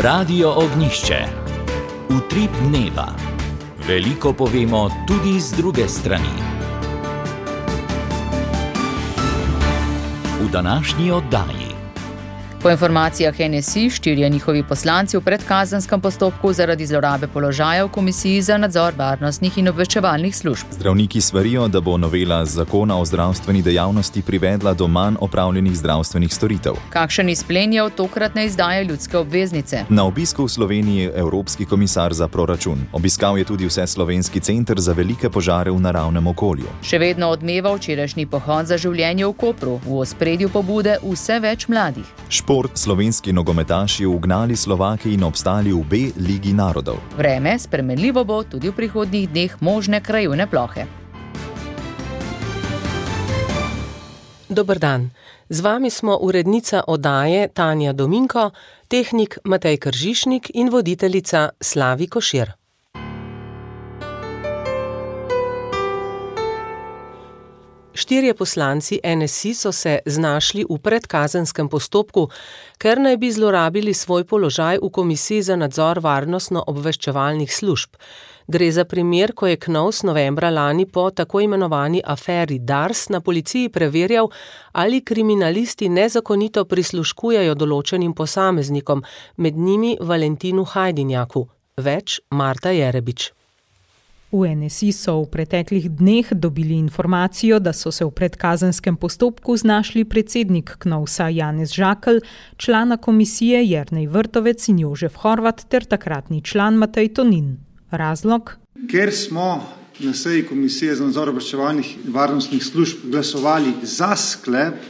Radio Ognjišče. Utrip dneva. Veliko povemo tudi z druge strani. V današnji oddaji. Po informacijah NSI, 4 njihovi poslanci v predkazenskem postopku zaradi zlorabe položaja v Komisiji za nadzor varnostnih in obveščevalnih služb. Zdravniki svarijo, da bo novela zakona o zdravstveni dejavnosti privedla do manj opravljenih zdravstvenih storitev. Kakšen izplen je od tokratne izdaje ljudske obveznice? Na obisku v Sloveniji Evropski komisar za proračun. Obiskal je tudi Vseslovenski center za velike požare v naravnem okolju. Še vedno odmeva včerajšnji pohod za življenje v Kopru. V ospredju pobude vse več mladih. Slovenski nogometaši ugnali Slovake in obstali v B ligi narodov. Vreme spremenljivo bo tudi v prihodnjih dneh možne krajevne plohe. Dober dan. Z vami smo urednica oddaje Tanja Dominko, tehnik Matej Kržišnik in voditeljica Slavi Košir. Štirje poslanci NSI so se znašli v predkazenskem postopku, ker naj bi zlorabili svoj položaj v Komisiji za nadzor varnostno-obveščevalnih služb. Gre za primer, ko je KNOVS novembra lani po tako imenovani aferi Dars na policiji preverjal, ali kriminalisti nezakonito prisluškujejo določenim posameznikom, med njimi Valentinu Hajdinjaku. Več Marta Jerebič. V NSI so v preteklih dneh dobili informacijo, da so se v predkazenskem postopku znašli predsednik KNOVS-a Janez Žakelj, člana komisije Jernej Vrtovec in Jožef Horvat ter takratni član Matej Tonin. Razlog? Ker smo na seji Komisije za nadzor obveščevalnih in varnostnih služb glasovali za sklep,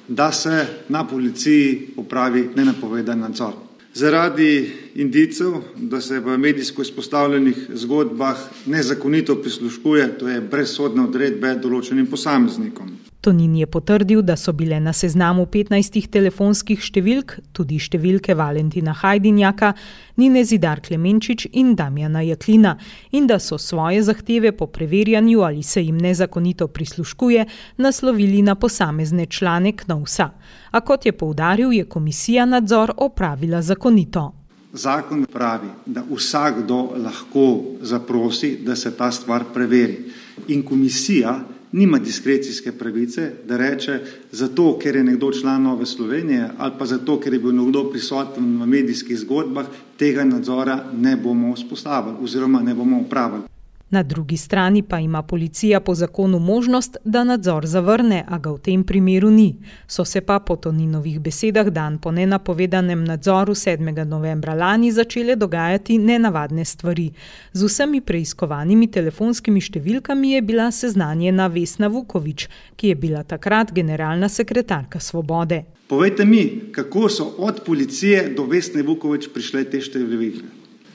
da se na policiji opravi nenapovedan nadzor. Zaradi indicev, da se v medijsko izpostavljenih zgodbah nezakonito prisluškuje, to je brez sodne odredbe določenim posameznikom. Tonin je potrdil, da so bile na seznamu 15 telefonskih številk, tudi številke Valentina Hajdinjaka, Nine Zidar Klemenčič in Damjana Jaklina, in da so svoje zahteve po preverjanju, ali se jim nezakonito prisluškuje, naslovili na posamezne člane KNOVS-a. A kot je poudaril, je komisija nadzor opravila zakonito. Zakon pravi, da vsakdo lahko zaprosi, da se ta stvar preveri. In komisija nima diskrecijske pravice, da reče, zato ker je nekdo član Nove Slovenije ali pa zato ker je bil nekdo prisoten v medijskih zgodbah, tega nadzora ne bomo vzpostavili oziroma ne bomo opravili. Na drugi strani pa ima policija po zakonu možnost, da nadzor zavrne, a ga v tem primeru ni. So se pa po Toninovih besedah dan po nenapovedanem nadzoru 7. novembra lani začele dogajati nenavadne stvari. Z vsemi preiskovanimi telefonskimi številkami je bila seznanjena Vesna Vuković, ki je bila takrat generalna sekretarka Svobode. Povejte mi, kako so od policije do Vesne Vuković prišle te številke.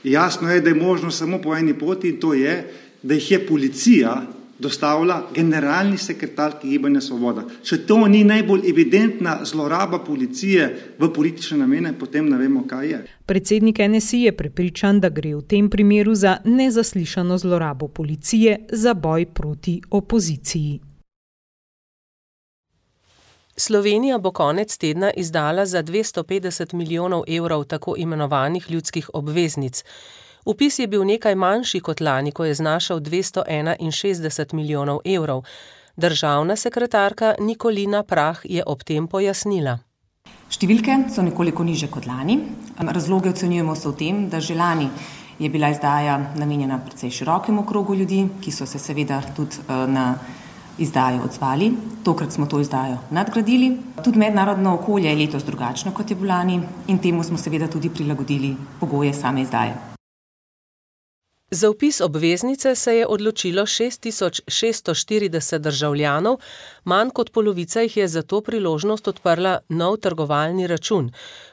Jasno je, da je možno samo po eni poti, in to je, da jih je policija dostavila generalni sekretarki Gibanja Svoboda. Če to ni najbolj evidentna zloraba policije v politične namene, potem ne vemo, kaj je. Predsednik NSI je prepričan, da gre v tem primeru za nezaslišano zlorabo policije za boj proti opoziciji. Slovenija bo konec tedna izdala za 250 milijonov evrov tako imenovanih ljudskih obveznic. Vpis je bil nekaj manjši kot lani, ko je znašal 261 milijonov evrov. Državna sekretarka Nikolina Prah je ob tem pojasnila. Številke so nekoliko niže kot lani. Razloge ocenjujemo se v tem, da že lani je bila izdaja namenjena precej širokemu krogu ljudi, ki so se seveda tudi na izdajo odzvali. Tokrat smo to izdajo nadgradili. Tudi mednarodno okolje je letos drugačno, kot je bilo lani, in temu smo seveda tudi prilagodili pogoje same izdaje. Za vpis obveznice se je odločilo 6640 državljanov, manj kot polovica jih je za to priložnost odprla nov trgovalni račun.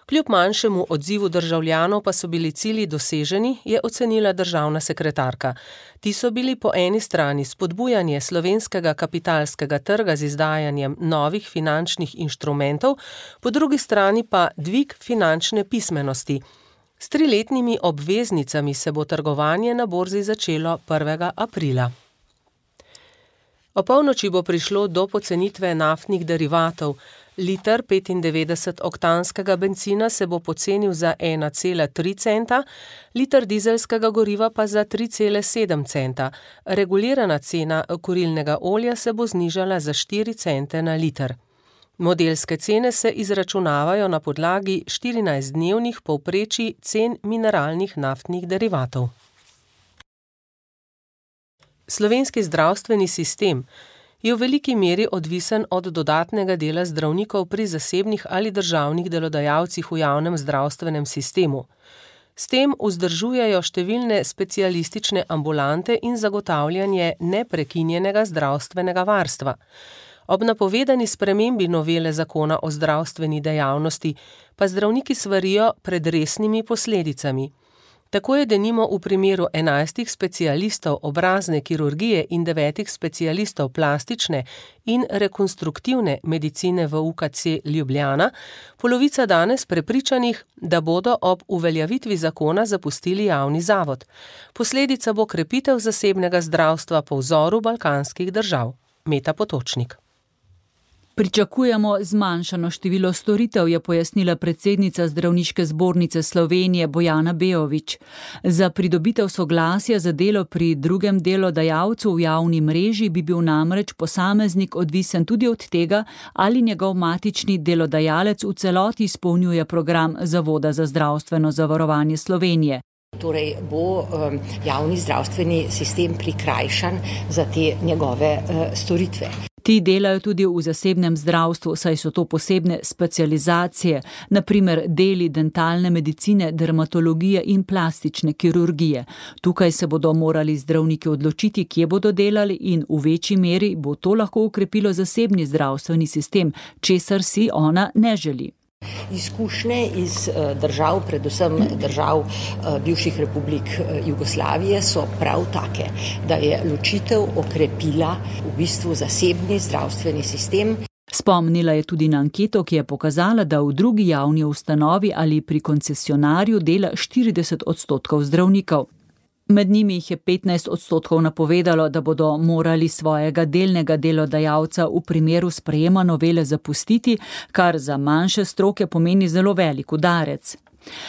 Kljub manjšemu odzivu državljanov pa so bili cilji doseženi, je ocenila državna sekretarka. Ti so bili po eni strani spodbujanje slovenskega kapitalskega trga z izdajanjem novih finančnih inštrumentov, po drugi strani pa dvig finančne pismenosti. S 3-letnimi obveznicami se bo trgovanje na borzi začelo 1. aprila. Opolnoči bo prišlo do pocenitve naftnih derivatov. Liter 95-oktanskega bencina se bo pocenil za 1,3 centa, liter dizelskega goriva pa za 3,7 centa. Regulirana cena kurilnega olja se bo znižala za 4 cente na liter. Modelske cene se izračunavajo na podlagi 14-dnevnih povprečij cen mineralnih naftnih derivatov. Slovenski zdravstveni sistem je v veliki meri odvisen od dodatnega dela zdravnikov pri zasebnih ali državnih delodajalcih v javnem zdravstvenem sistemu. S tem vzdržujejo številne specialistične ambulante in zagotavljanje neprekinjenega zdravstvenega varstva. Ob napovedani spremembi novele zakona o zdravstveni dejavnosti pa zdravniki svarijo pred resnimi posledicami. Tako je denimo v primeru 11 specialistov obrazne kirurgije in 9 specialistov plastične in rekonstruktivne medicine v UKC Ljubljana polovica danes prepričanih, da bodo ob uveljavitvi zakona zapustili javni zavod. Posledica bo krepitev zasebnega zdravstva po vzoru balkanskih držav. Meta Potočnik. Pričakujemo zmanjšano število storitev, je pojasnila predsednica Zdravniške zbornice Slovenije Bojana Beović. Za pridobitev soglasja za delo pri drugem delodajalcu v javni mreži bi bil namreč posameznik odvisen tudi od tega, ali njegov matični delodajalec v celoti izpolnjuje program Zavoda za zdravstveno zavarovanje Slovenije. Torej bo javni zdravstveni sistem prikrajšan za te njegove storitve. Ti delajo tudi v zasebnem zdravstvu, saj so to posebne specializacije, na primer deli dentalne medicine, dermatologije in plastične kirurgije. Tukaj se bodo morali zdravniki odločiti, kje bodo delali in v večji meri bo to lahko ukrepilo zasebni zdravstveni sistem, česar si ona ne želi. Izkušnje iz držav, predvsem držav bivših republik Jugoslavije, so prav take, da je ločitev okrepila v bistvu zasebni zdravstveni sistem. Spomnila je tudi na anketo, ki je pokazala, da v drugi javni ustanovi ali pri koncesionarju dela 40% zdravnikov. Med njimi jih je 15% napovedalo, da bodo morali svojega delnega delodajalca v primeru sprejema novele zapustiti, kar za manjše stroke pomeni zelo velik udarec.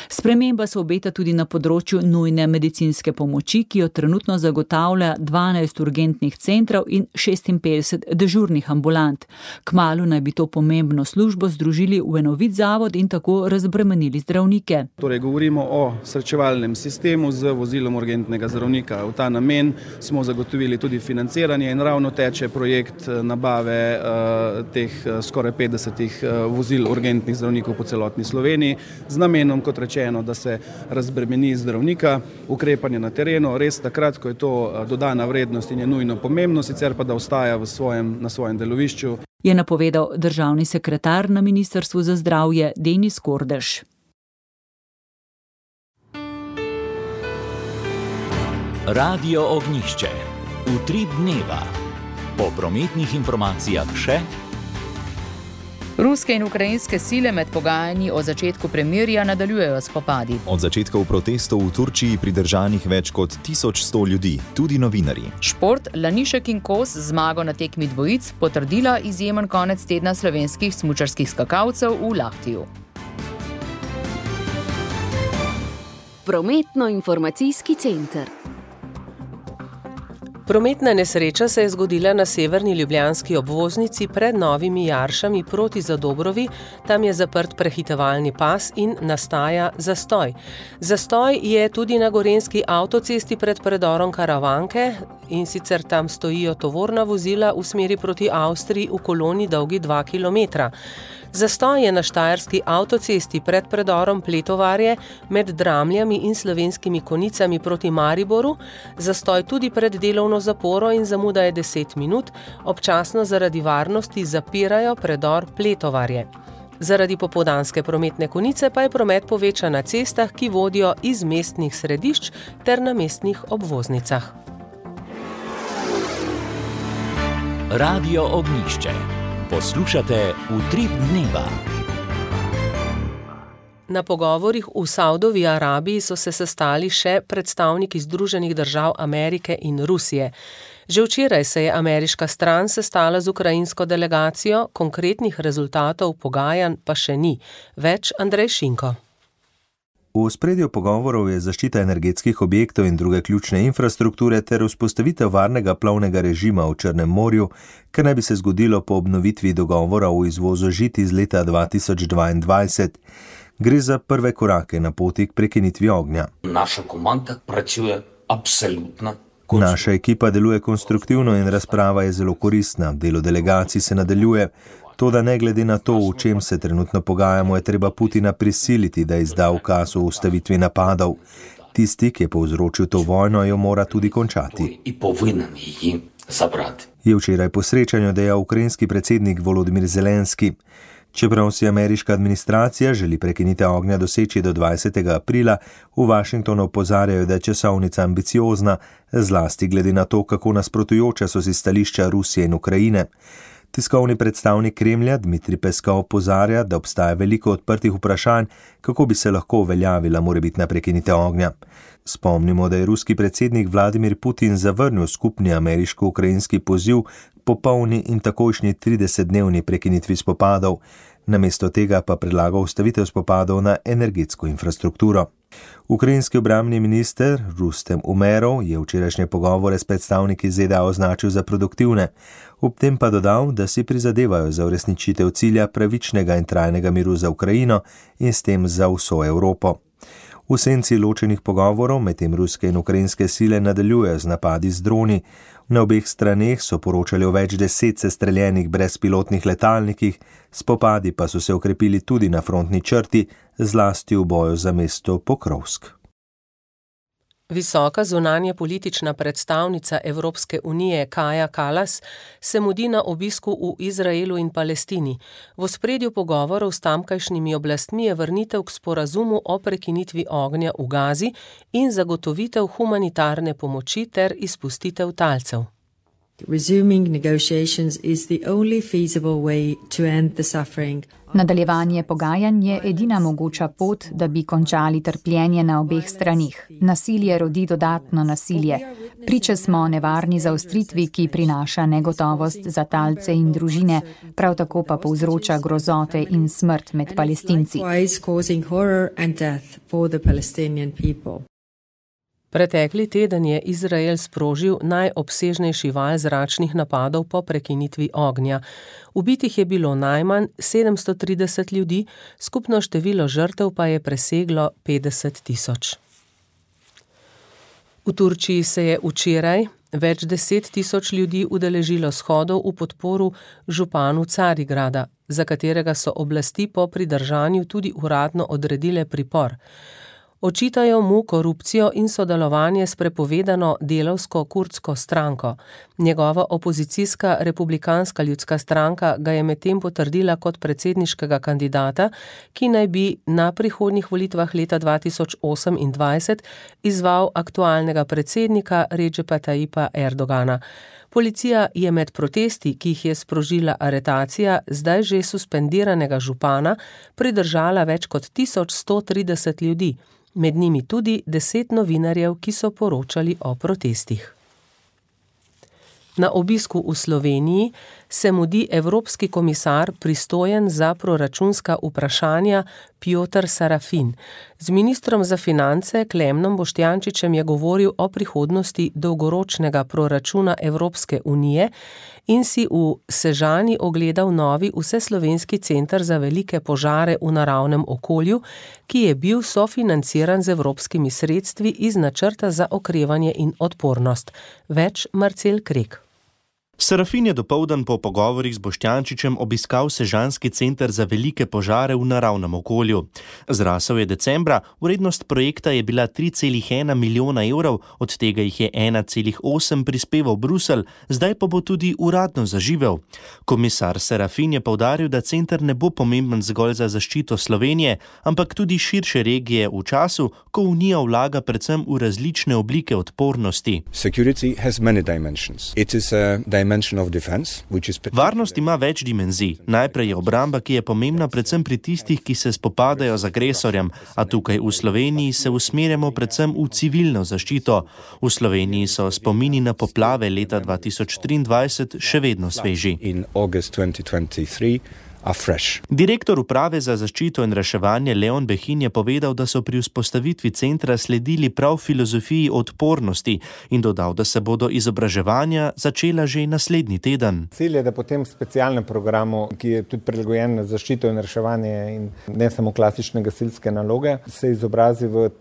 Sprememba se obeta tudi na področju nujne medicinske pomoči, ki jo trenutno zagotavlja 12 urgentnih centrov in 56 dežurnih ambulant. Kmalu naj bi to pomembno službo združili v enovit zavod in tako razbremenili zdravnike. Torej, govorimo o srečevalnem sistemu z vozilom urgentnega zdravnika. V ta namen smo zagotovili tudi financiranje in ravno teče projekt nabave teh skoraj 50 vozil urgentnih zdravnikov po celotni Sloveniji z namenom, kot rečeno, da se razbremeni zdravnika, ukrepanje na terenu, res takrat, ko je to dodana vrednost in je nujno pomembno, sicer pa da ostaja na svojem delovišču. Je napovedal državni sekretar na Ministrstvu za zdravje Denis Kordež. Radio Ognjišče. Utrip dneva. Po prometnih informacijah še. Ruske in ukrajinske sile med pogajanji o začetku premirja nadaljujejo spopadi. Od začetkov protestov v Turčiji pridržanih več kot 1100 ljudi, tudi novinarji. Šport, Lanišek in Kos zmago na tekmi dvojic potrdila izjemen konec tedna slovenskih smučarskih skakalcev v Lahtiju. Prometno-informacijski center. Prometna nesreča se je zgodila na severni ljubljanski obvoznici pred Novimi Jaršami proti Zadobrovi, tam je zaprt prehitevalni pas in nastaja zastoj. Zastoj je tudi na gorenjski avtocesti pred predorom Karavanke in sicer tam stojijo tovorna vozila v smeri proti Avstriji v koloni dolgi 2 km. Zastoj je na štajerski avtocesti pred predorom Pletovarje med Dramljami in Slovenskimi Konicami proti Mariboru, zastoj tudi pred delovno zaporo in zamuda je 10 minut, občasno zaradi varnosti zapirajo predor Pletovarje. Zaradi popoldanske prometne konice pa je promet povečan na cestah, ki vodijo iz mestnih središč ter na mestnih obvoznicah. Radio Ognjišče. Poslušate Utrip dneva. Na pogovorih v Saudovi Arabiji so se sestali še predstavniki Združenih držav Amerike in Rusije. Že včeraj se je ameriška stran sestala z ukrajinsko delegacijo, konkretnih rezultatov pogajanj pa še ni. Več Andrej Šinko. V ospredju pogovorov je zaščita energetskih objektov in druge ključne infrastrukture ter vzpostavitev varnega plovnega režima v Črnem morju, kar naj bi se zgodilo po obnovitvi dogovora o izvozu žit iz leta 2022. Gre za prve korake na poti k prekinitvi ognja. Naša komanda pracuje absolutno. Naša ekipa deluje konstruktivno in razprava je zelo koristna. Delo delegacij se nadaljuje. Toda ne glede na to, o čem se trenutno pogajamo, je treba Putina prisiliti, da izda ukaz o ustavitvi napadov. Tisti, ki je povzročil to vojno, jo mora tudi končati. Je včeraj po srečanju dejal ukrajinski predsednik Volodimir Zelenski. Čeprav si ameriška administracija želi prekinitev ognja doseči do 20. aprila, v Washingtonu opozarjajo, da je časovnica ambiciozna, zlasti glede na to, kako nasprotujoča so si stališča Rusije in Ukrajine. Tiskovni predstavnik Kremlja Dmitrij Peskov opozarja, da obstaja veliko odprtih vprašanj, kako bi se lahko uveljavila morebitna prekinitev ognja. Spomnimo, da je ruski predsednik Vladimir Putin zavrnil skupni ameriško-ukrajinski poziv popolni in takojšnji 30-dnevni prekinitvi spopadov. Namesto tega pa predlaga ustavitev spopadov na energetsko infrastrukturo. Ukrajinski obrambni minister Rustem Umerov je včerajšnje pogovore s predstavniki ZDA označil za produktivne. Ob tem pa dodal, da si prizadevajo za uresničitev cilja pravičnega in trajnega miru za Ukrajino in s tem za vso Evropo. V senci ločenih pogovorov medtem ruske in ukrajinske sile nadaljujejo z napadi z droni. Na obeh straneh so poročali o več 10 sestreljenih brezpilotnih letalnikih, spopadi pa so se okrepili tudi na frontni črti, zlasti v boju za mesto Pokrovsk. Visoka zunanje politična predstavnica Evropske unije Kaja Kallas se mudi na obisku v Izraelu in Palestini. V ospredju pogovorov s tamkajšnjimi oblastmi je vrnitev k sporazumu o prekinitvi ognja v Gazi in zagotovitev humanitarne pomoči ter izpustitev talcev. Nadaljevanje pogajanj je edina mogoča pot, da bi končali trpljenje na obeh stranih. Nasilje rodi dodatno nasilje. Priče smo nevarni zaostritvi, ki prinaša negotovost za talce in družine, prav tako pa povzroča grozote in smrt med Palestinci. Pretekli teden je Izrael sprožil najobsežnejši val zračnih napadov po prekinitvi ognja. Ubitih je bilo najmanj 730 ljudi, skupno število žrtev pa je preseglo 50 000. V Turčiji se je včeraj več 10 000 ljudi udeležilo shodov v podporu županu Carigrada, za katerega so oblasti po pridržanju tudi uradno odredile pripor. Očitajo mu korupcijo in sodelovanje s prepovedano delavsko-kurdsko stranko. Njegova opozicijska republikanska ljudska stranka ga je medtem potrdila kot predsedniškega kandidata, ki naj bi na prihodnjih volitvah leta 2028 izval aktualnega predsednika Redžepa Tayyipa Erdogana. Policija je med protesti, ki jih je sprožila aretacija zdaj že suspendiranega župana, pridržala več kot 1130 ljudi. Med njimi tudi 10 novinarjev, ki so poročali o protestih. Na obisku v Sloveniji se mudi evropski komisar pristojen za proračunska vprašanja Piotr Sarafin. Z ministrom za finance Klemnom Boštjančičem je govoril o prihodnosti dolgoročnega proračuna Evropske unije in si v Sežani ogledal novi vseslovenski center za velike požare v naravnem okolju, ki je bil sofinanciran z evropskimi sredstvi iz načrta za okrevanje in odpornost. Več Marcel Krek. Sarafin je dopoldan po pogovorih z Boštjančičem obiskal Sežanski center za velike požare v naravnem okolju. Zrasel je decembra, vrednost projekta je bila 3,1 milijona evrov, od tega jih je 1,8 prispeval Bruselj, zdaj pa bo tudi uradno zaživel. Komisar Sarafin je poudaril, da center ne bo pomemben zgolj za zaščito Slovenije, ampak tudi širše regije v času, ko Unija vlaga predvsem v različne oblike odpornosti. Security has many dimensions. It is a Varnost ima več dimenzij. Najprej je obramba, ki je pomembna predvsem pri tistih, ki se spopadajo z agresorjem, a tukaj v Sloveniji se usmerjamo predvsem v civilno zaščito. V Sloveniji so spomini na poplave leta 2023 še vedno sveži. Direktor uprave za zaščito in reševanje Leon Behin je povedal, da so pri vzpostavitvi centra sledili prav filozofiji odpornosti in dodal, da se bodo izobraževanja začela že naslednji teden. Cilj je, da po tem specialnem programu, ki je tudi prilagojen na zaščito in reševanje in ne samo klasične gasilske naloge, se izobrazi v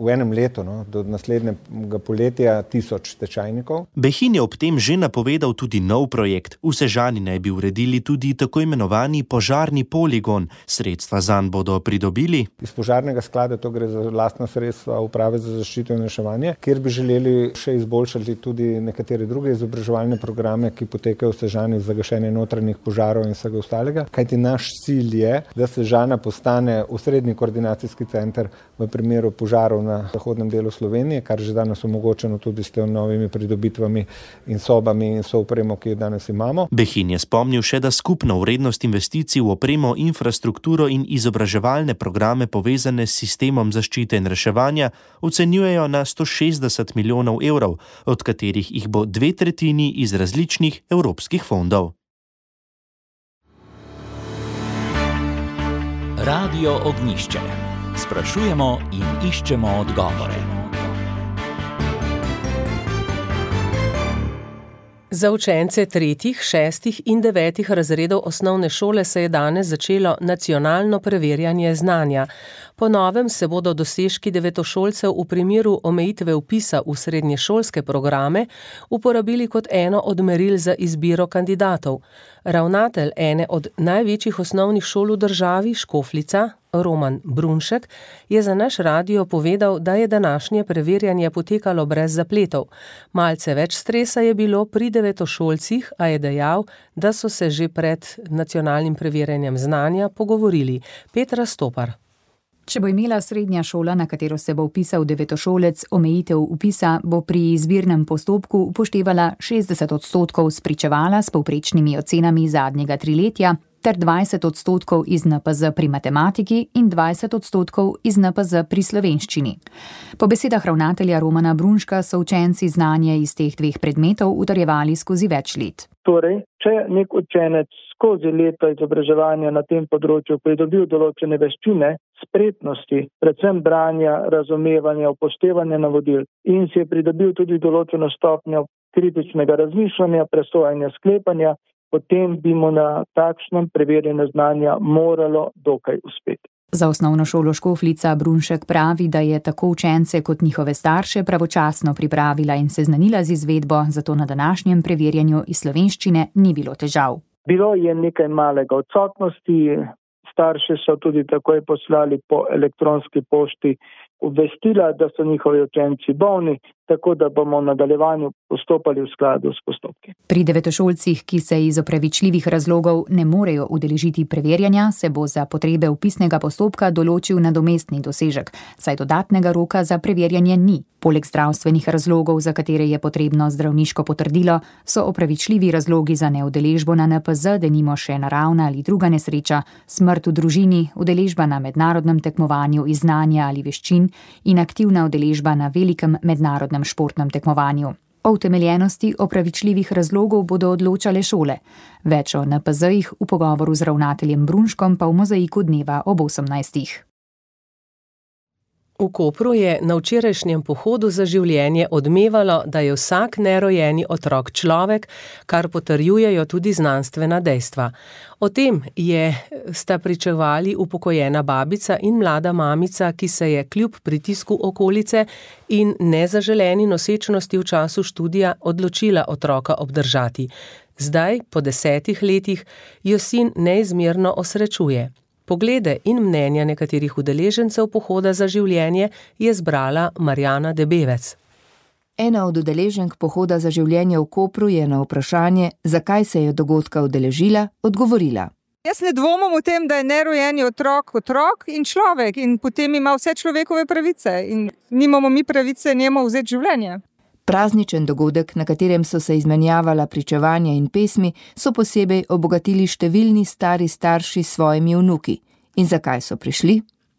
enem letu, do naslednjega poletja 1000 tečajnikov. Behin je ob tem že napovedal tudi nov projekt. V Sežani naj bi uredili tudi tako imenovani požarni poligon. Sredstva zanj bodo pridobili. Iz požarnega sklada, to gre za lastna sredstva uprave za zaščito in reševanje, kjer bi želeli še izboljšati tudi nekatere druge izobraževalne programe, ki potekajo v Sežani za gašenje notranjih požarov in vsega ostalega. Kajti naš cilj je, da Sežana postane osrednji koordinacijski center v primeru požarov na zahodnem delu Slovenije, kar že danes omogočeno tudi s tem novimi pridobitvami in sobami in soupremo, ki jo danes imamo. Behin je spomnil še, da skupna vrednost investicij v opremo, infrastrukturo in izobraževalne programe povezane s sistemom zaščite in reševanja ocenjujejo na 160 milijonov evrov, od katerih jih bo 2/3 iz različnih evropskih fondov. Radio Ognjišče. Sprašujemo in iščemo odgovore. Za učence 3., 6. in 9. razredov osnovne šole se je danes začelo nacionalno preverjanje znanja. Po novem se bodo dosežki devetošolcev v primeru omejitve vpisa v srednješolske programe uporabili kot eno od meril za izbiro kandidatov. Ravnatelj ene od največjih osnovnih šol v državi, Škofljica, Roman Brunšek, je za naš radio povedal, da je današnje preverjanje potekalo brez zapletov. Malce več stresa je bilo pri devetošolcih, a je dejal, da so se že pred nacionalnim preverjanjem znanja pogovorili. Petra Stopar. Če bo imela srednja šola, na katero se bo vpisal devetošolec, omejitev vpisa, bo pri izbirnem postopku upoštevala 60% spričevala s povprečnimi ocenami zadnjega triletja ter 20% iz NPZ pri matematiki in 20% iz NPZ pri slovenščini. Po besedah ravnatelja Romana Brunška so učenci znanje iz teh dveh predmetov utrjevali skozi več let. Torej, če nek učenec skozi leto izobraževanja na tem področju pridobil določene veščine, spretnosti, predvsem branja, razumevanja, upoštevanja navodil in si je pridobil tudi določeno stopnjo kritičnega razmišljanja, presojanja, sklepanja, potem bi mu na takšnem preverjanju znanja moralo dokaj uspeti. Za osnovno šolo Škofljica Brunšek pravi, da je tako učence kot njihove starše pravočasno pripravila in seznanila z izvedbo, zato na današnjem preverjanju iz slovenščine ni bilo težav. Bilo je nekaj malega odsotnosti, starši so tudi takoj poslali po elektronski pošti obvestila, da so njihovi učenci bolni, tako da bomo v nadaljevanju postopali v skladu s postopki. Pri devetošolcih, ki se iz opravičljivih razlogov ne morejo udeležiti preverjanja, se bo za potrebe vpisnega postopka določil nadomestni dosežek, saj dodatnega roka za preverjanje ni. Poleg zdravstvenih razlogov, za katere je potrebno zdravniško potrdilo, so opravičljivi razlogi za neudeležbo na NPZ, denimo še naravna ali druga nesreča, smrt v družini, udeležba na mednarodnem tekmovanju iz znanja ali veščin in aktivna udeležba na velikem mednarodnem športnem tekmovanju. O utemeljenosti opravičljivih razlogov bodo odločale šole. Več o NPZ-jih v pogovoru z ravnateljem Brunškom pa v mozaiku dneva ob 18. V Kopru je na včerajšnjem pohodu za življenje odmevalo, da je vsak nerojeni otrok človek, kar potrjujejo tudi znanstvena dejstva. O tem sta pričevali upokojena babica in mlada mamica, ki se je kljub pritisku okolice in nezaželeni nosečnosti v času študija odločila otroka obdržati. Zdaj, po 10 letih, jo sin neizmerno osrečuje. Poglede in mnenja nekaterih udeležencev pohoda za življenje je zbrala Marjana Debevec. Ena od udeleženk pohoda za življenje v Kopru je na vprašanje, zakaj se je dogodka udeležila, odgovorila. Jaz ne dvomim o tem, da je nerojeni otrok in človek in potem ima vse človekove pravice in nimamo mi pravice njemu vzeti življenje. Prazničen dogodek, na katerem so se izmenjavala pričevanja in pesmi, so posebej obogatili številni stari starši s svojimi vnuki. In zakaj so prišli?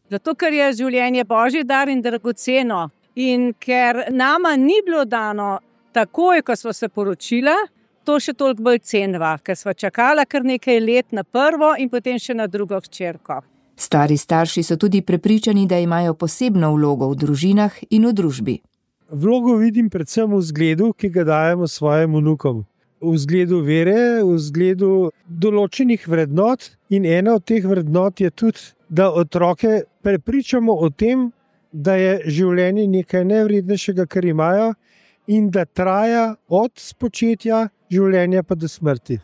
Zato, ker je življenje božji dar in dragoceno. In ker nama ni bilo dano takoj, ko smo se poročila, to še toliko bolj cenva, ker smo čakala kar nekaj let na prvo in potem še na drugo hčerko. Stari starši so tudi prepričani, da imajo posebno vlogo v družinah in v družbi. Vlogo vidim predvsem v vzgledu, ki ga dajemo svojim vnukom. V vzgledu vere, v vzgledu določenih vrednot in ena od teh vrednot je tudi, da otroke prepričamo o tem, da je življenje nekaj nevrednejšega, kar imajo in da traja od spočetja življenja pa do smrti.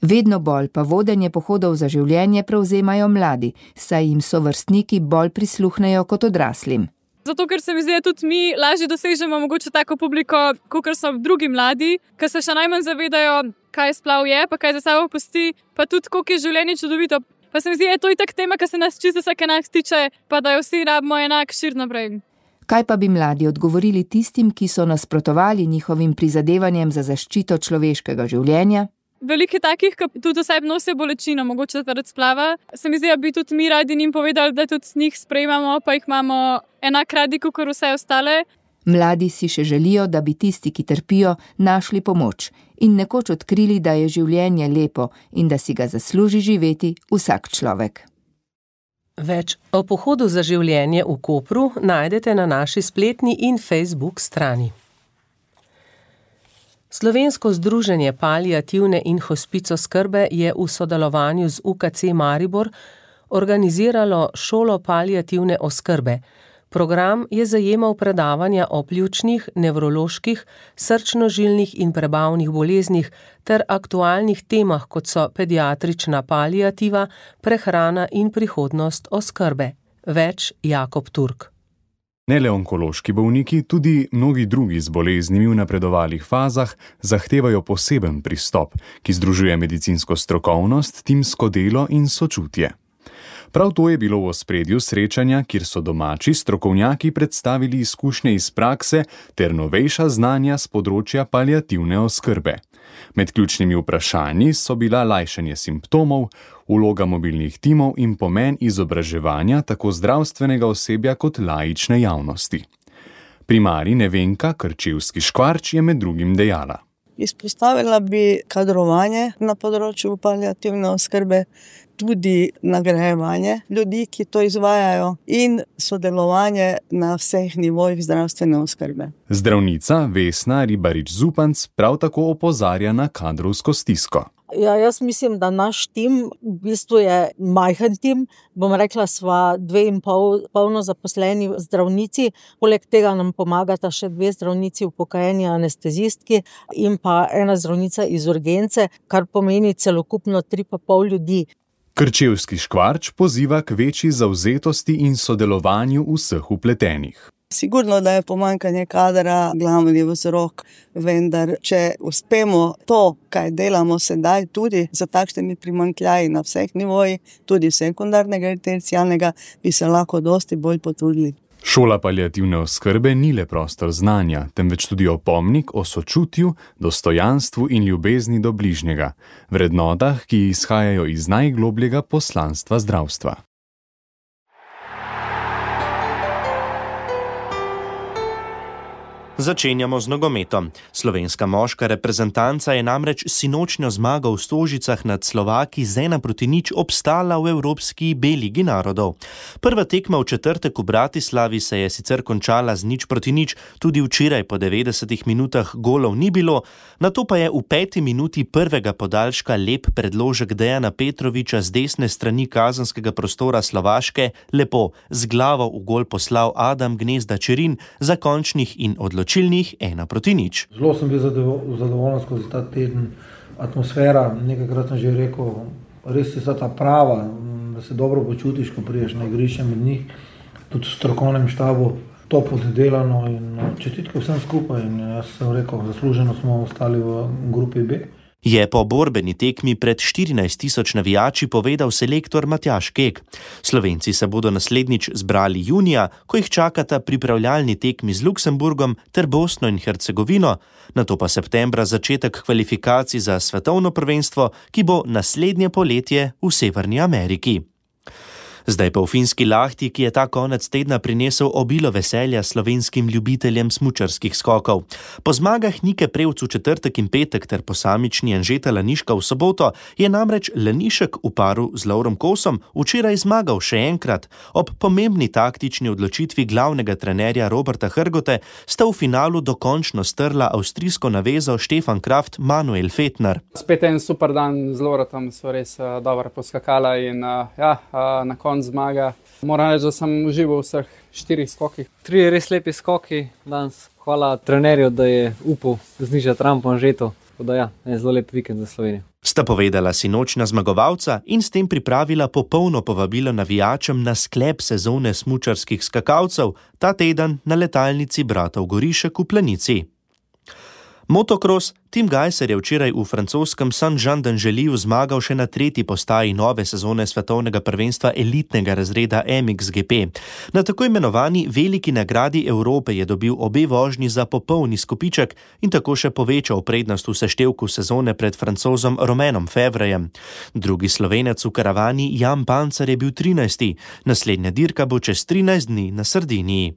Vedno bolj pa vodenje pohodov za življenje prevzemajo mladi, saj jim sovrstniki bolj prisluhnejo kot odraslim. Zato, ker se mi zdi, da tudi mi lažje dosežemo mogoče tako publiko, kot so drugi mladi, ki se še najmanj zavedajo, kaj splav je, pa kaj za sabo pusti, pa tudi koliko je življenje čudovito. Pa se mi zdi, da je to itak tema, ki se nas čisto vsak enak tiče, pa da jo vsi rabimo enak šir naprej. Kaj pa bi mladi odgovorili tistim, ki so nasprotovali njihovim prizadevanjem za zaščito človeškega življenja? Veliko takih, ki tudi oseb nosijo bolečino, mogoče zaradi splava. Se mi zdi, da bi tudi mi radi njim povedali, da tudi njih sprejemamo, pa jih imamo enak radi, kot vse ostale. Mladi si še želijo, da bi tisti, ki trpijo, našli pomoč in nekoč odkrili, da je življenje lepo in da si ga zasluži živeti vsak človek. Več o pohodu za življenje v Kopru najdete na naši spletni in Facebook strani. Slovensko združenje paliativne in hospicoskrbe je v sodelovanju z UKC Maribor organiziralo šolo paliativne oskrbe. Program je zajemal predavanja o pljučnih, nevroloških, srčno-žilnih in prebavnih boleznih ter aktualnih temah, kot so pediatrična paliativa, prehrana in prihodnost oskrbe. Več Jakob Turk. Ne le onkološki bolniki, tudi mnogi drugi z boleznimi v napredovalih fazah zahtevajo poseben pristop, ki združuje medicinsko strokovnost, timsko delo in sočutje. Prav to je bilo v ospredju srečanja, kjer so domači strokovnjaki predstavili izkušnje iz prakse ter novejša znanja z področja paliativne oskrbe. Med ključnimi vprašanji so bila lajšanje simptomov, vloga mobilnih timov in pomen izobraževanja tako zdravstvenega osebja kot laične javnosti. Primarij Nevenka Krčevski-Škvarč je med drugim dejala. Izpostavila bi kadrovanje na področju paliativne oskrbe, tudi nagrajevanje ljudi, ki to izvajajo, in sodelovanje na vseh nivojih zdravstvene oskrbe. Zdravnica Vesna Ribarič-Zupanc prav tako opozarja na kadrovsko stisko. Ja, jaz mislim, da naš tim v bistvu je majhen tim. Bom rekla, sva 2,5 polno zaposleni zdravnici. Poleg tega nam pomagata še 2 zdravnici upokojeni anestezistki in pa 1 zdravnica iz urgence, kar pomeni celokupno 3,5 ljudi. Krčevski-Škvarč poziva k večji zavzetosti in sodelovanju vseh vpletenih. Sigurno, da je pomanjkanje kadra glavni vzrok, vendar če uspemo to, kaj delamo sedaj, tudi za takšnimi primanjkljaji na vseh nivojih, tudi sekundarnega in terciarnega, bi se lahko dosti bolj potrudili. Šola paliativne oskrbe ni le prostor znanja, temveč tudi opomnik o sočutju, dostojanstvu in ljubezni do bližnjega, vrednotah, ki izhajajo iz najglobljega poslanstva zdravstva. Začenjamo z nogometom. Slovenska moška reprezentanca je namreč sinočnjo zmago v Stožicah nad Slovaki z 1-0 obstala v Evropski B ligi narodov. Prva tekma v četrtek v Bratislavi se je sicer končala z 0-0, tudi včeraj po 90 minutah golov ni bilo, nato pa je v 5. minuti prvega podaljška lep predložek Dejana Petroviča z desne strani kazenskega prostora Slovaške lepo z glavo v gol poslal Adam Gnezda Čerin za končnih in odločilnih 1-0. Zelo sem bil zadovoljen skozi ta teden. Atmosfera, nekajkrat sem že rekel, res je ta prava, da se dobro počutiš, ko prideš na igrišče med njih, tudi v strokovnem štabu, top oddelano in čestitke vsem skupaj. In jaz sem rekel, zasluženo smo ostali v grupi B. Je po borbeni tekmi pred 14.000 navijači povedal selektor Matjaž Kek. Slovenci se bodo naslednjič zbrali junija, ko jih čakata pripravljalni tekmi z Luksemburgom ter Bosno in Hercegovino, nato pa septembra začetek kvalifikacij za svetovno prvenstvo, ki bo naslednje poletje v Severni Ameriki. Zdaj pa v Finski Lahti, ki je ta konec tedna prinesel obilo veselja slovenskim ljubiteljem smučarskih skokov. Po zmagah Nike Prevc v četrtek in petek ter posamični Anžeta Laniška v soboto je namreč Lanišek v paru z Lovrom Kosom včeraj zmagal še enkrat. Ob pomembni taktični odločitvi glavnega trenerja Roberta Hrgote sta v finalu dokončno strla avstrijsko navezo Stefan Kraft, Manuel Fettner. Spet en super dan z Lovratom, so res dobro poskakala in na koncu zmaga. Moram reči, da sem užival v vseh 4 skokih. 3 res lepi skoki danes. Hvala trenerju, da je upal znižati rampo Anžetu. Je zelo lep vikend za Slovenijo. Sta povedala sinočna zmagovalca in s tem pripravila popolno povabilo navijačem na sklep sezone smučarskih skakalcev ta teden na letalnici bratov Gorišek v Planici. Motocross Tim Gajser je včeraj v francoskem Saint-Jean-d'Angely zmagal še na 3. postaji nove sezone svetovnega prvenstva elitnega razreda MXGP. Na tako imenovani veliki nagradi Evrope je dobil obe vožnji za popolni skopiček in tako še povečal prednost v seštevku sezone pred Francozom Romanom Fevrejem. Drugi Slovenec v karavani Jan Pancar je bil 13. Naslednja dirka bo čez 13 dni na Sardiniji.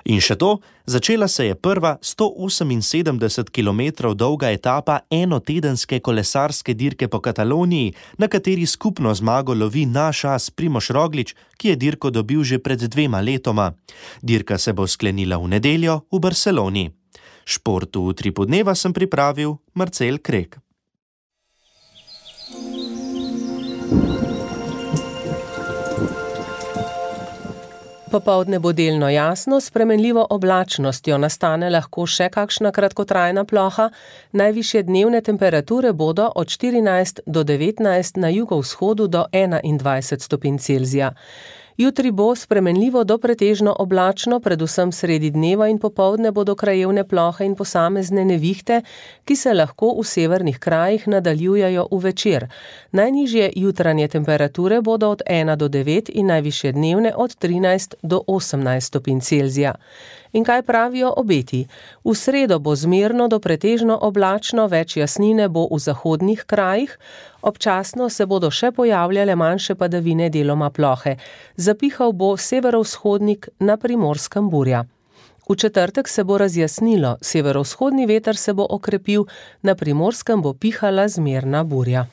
In še to, začela se je prva 178 km dolga etapa enotedenske kolesarske dirke po Kataloniji, na kateri skupno zmago lovi naš as Primož Roglič, ki je dirko dobil že pred 2 letoma. Dirka se bo sklenila v nedeljo v Barceloni. Športu v Utripu dneva sem pripravil Marcel Krek. Popoldne bo delno jasno, s spremenljivo oblačnostjo nastane lahko še kakšna kratkotrajna ploha. Najvišje dnevne temperature bodo od 14 do 19 na jugovzhodu do 21 stopinj Celzija. Jutri bo spremenljivo do pretežno oblačno, predvsem sredi dneva in popoldne bodo krajevne plohe in posamezne nevihte, ki se lahko v severnih krajih nadaljujejo v večer. Najnižje jutranje temperature bodo od 1 do 9 in najvišje dnevne od 13 do 18 stopinj Celzija. In kaj pravijo obeti? V sredo bo zmerno do pretežno oblačno, več jasnine bo v zahodnih krajih, občasno se bodo še pojavljale manjše padavine, deloma plohe. Zapihal bo severovzhodnik, na Primorskem burja. V četrtek se bo razjasnilo, severovzhodni veter se bo okrepil, na Primorskem bo pihala zmerna burja.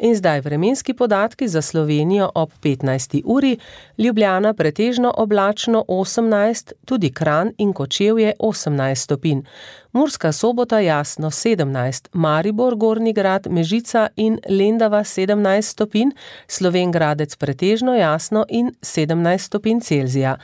In zdaj vremenski podatki za Slovenijo ob 15. uri, Ljubljana pretežno oblačno 18, tudi Kranj in Kočevje 18 stopinj. Murska Sobota jasno 17, Maribor, Gornji Grad, Mežica in Lendava 17 stopinj, Slovenj Gradec pretežno jasno in 17 stopinj Celzija.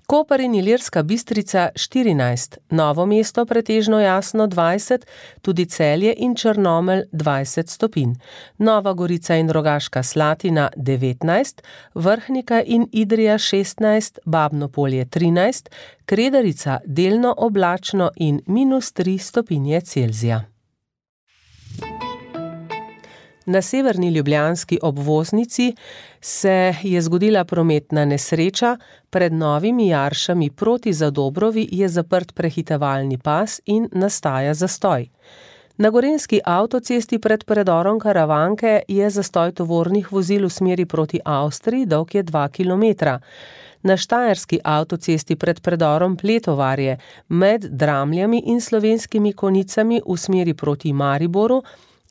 Koper in Ilirska Bistrica 14, Novo mesto pretežno jasno 20, tudi Celje in Črnomelj 20 stopinj. Nova Gorica in Rogaška Slatina 19, Vrhnika in Idrija 16, Babno Polje 13, Kredarica delno oblačno in -3 stopinje Celzija. Na severni ljubljanski obvoznici se je zgodila prometna nesreča, pred Novimi Jaršami proti Zadobrovi je zaprt prehitevalni pas in nastaja zastoj. Na gorenjski avtocesti pred predorom Karavanke je zastoj tovornih vozil v smeri proti Avstriji, dolg je 2 km. Na štajerski avtocesti pred predorom Pletovarje med Dramljami in Slovenskimi Konicami v smeri proti Mariboru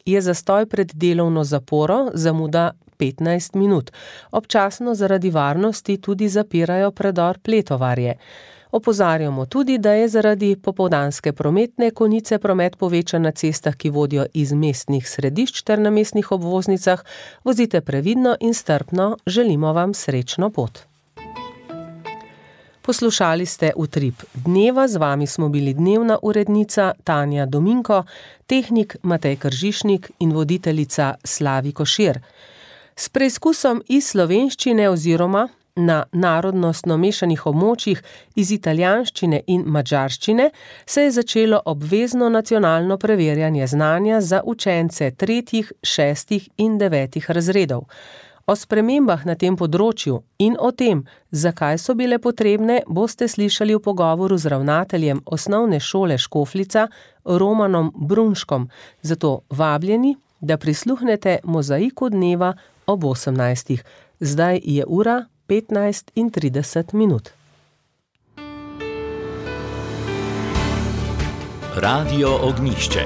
je zastoj pred delovno zaporo, zamuda 15 minut. Občasno zaradi varnosti tudi zapirajo predor Pletovarje. Opozarjamo tudi, da je zaradi popoldanske prometne konice promet povečan na cestah, ki vodijo iz mestnih središč ter na mestnih obvoznicah. Vozite previdno in strpno, želimo vam srečno pot. Poslušali ste Utrip dneva, z vami smo bili dnevna urednica Tanja Dominko, tehnik Matej Kržišnik in voditeljica Slavi Košir. S preizkusom iz slovenščine oziroma na narodnostno mešanih območjih iz italijanščine in madžarščine se je začelo obvezno nacionalno preverjanje znanja za učence 3., 6. in 9. razredov. O spremembah na tem področju in o tem, zakaj so bile potrebne, boste slišali v pogovoru z ravnateljem osnovne šole Škofljica Romanom Brunškom. Zato vabljeni, da prisluhnete mozaiku dneva ob 18. Zdaj je ura 15:30. Radio Ognjišče.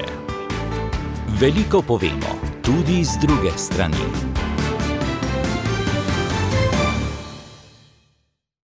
Veliko povemo, tudi z druge strani.